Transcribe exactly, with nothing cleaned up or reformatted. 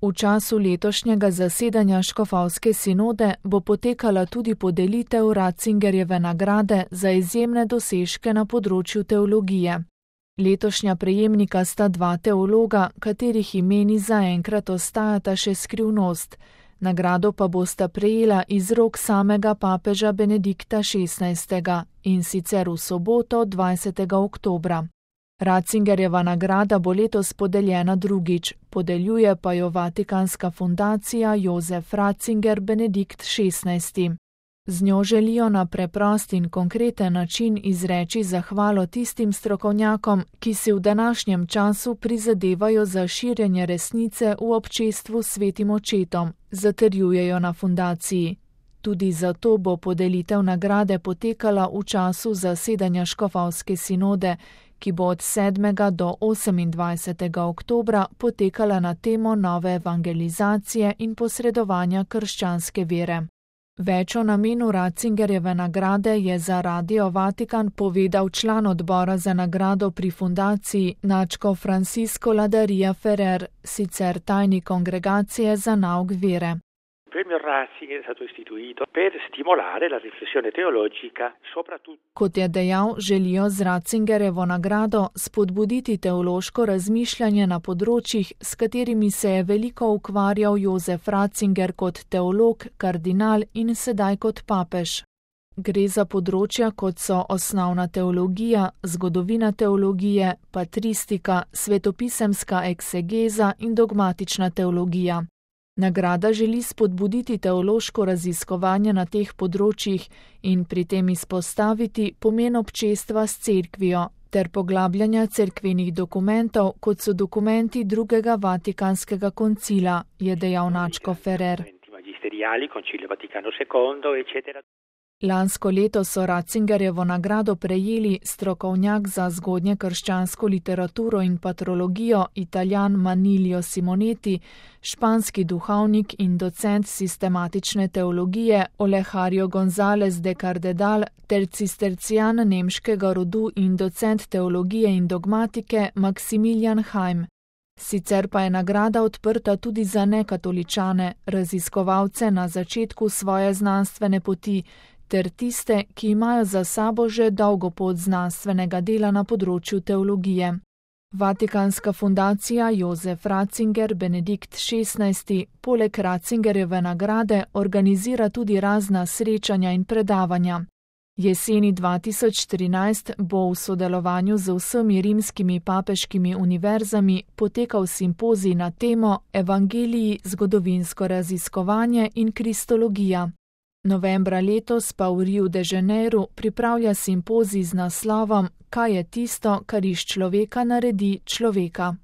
V času letošnjega zasedanja škofovske sinode bo potekala tudi podelitev Ratzingerjeve nagrade za izjemne dosežke na področju teologije. Letošnja prejemnika sta dva teologa, katerih imeni zaenkrat ostajata še skrivnost. Nagrado pa bosta prejela iz rok samega papeža Benedikta šestnajstega in sicer v soboto dvajsetega oktobra. Ratzingerjeva nagrada bo letos podeljena drugič, podeljuje pa jo Vatikanska fundacija Jozef Ratzinger Benedikt šestnajsti. Z njo želijo na preprost in konkreten način izreči zahvalo tistim strokovnjakom, ki si v današnjem času prizadevajo za širjenje resnice v občestvu s Svetim očetom, zatrjujejo na fundaciji. Tudi zato bo podelitev nagrade potekala v času zasedanja škofovske sinode, ki bo od sedmega do osemindvajsetega oktobra potekala na temo nove evangelizacije in posredovanja krščanske vere. Več o namenu Ratzingerjeve nagrade je za Radio Vatikan povedal član odbora za nagrado pri fundaciji nadškof Francisco Ladaria Ferrer, sicer tajnik kongregacije za nauk vere. Kot je dejal, želijo z Ratzingerjevo nagrado spodbuditi teološko razmišljanje na področjih, s katerimi se je veliko ukvarjal Jozef Ratzinger kot teolog, kardinal in sedaj kot papež. Gre za področja, kot so osnovna teologija, zgodovina teologije, patristika, svetopisemska eksegeza in dogmatična teologija. Nagrada želi spodbuditi teološko raziskovanje na teh področjih in pri tem izpostaviti pomen občestva s cerkvijo ter poglabljanja cerkvenih dokumentov, kot so dokumenti drugega Vatikanskega koncila, je dejal nadškof Ferrer. Lansko leto so Ratzingerjevo nagrado prejeli strokovnjak za zgodnje krščansko literaturo in patrologijo Italijan Manilio Simonetti, španski duhovnik in docent sistematične teologije Olegario González de Cardedal ter cistercijan nemškega rodu in docent teologije in dogmatike Maximilian Heim. Sicer pa je nagrada odprta tudi za nekatoličane, raziskovalce na začetku svoje znanstvene poti, ter tiste, ki imajo za sabo že dolgo pot znanstvenega dela na področju teologije. Vatikanska fundacija Jozef Ratzinger Benedikt šestnajsti poleg Ratzingerjeve nagrade organizira tudi razna srečanja in predavanja. Jeseni dva tisoč trinajst bo v sodelovanju z vsemi rimskimi papeškimi univerzami potekal simpozij na temo Evangeliji, zgodovinsko raziskovanje in kristologija. Novembra letos pa v Riu de Janeiro pripravlja simpozij z naslovom Kaj je tisto, kar iz človeka naredi človeka?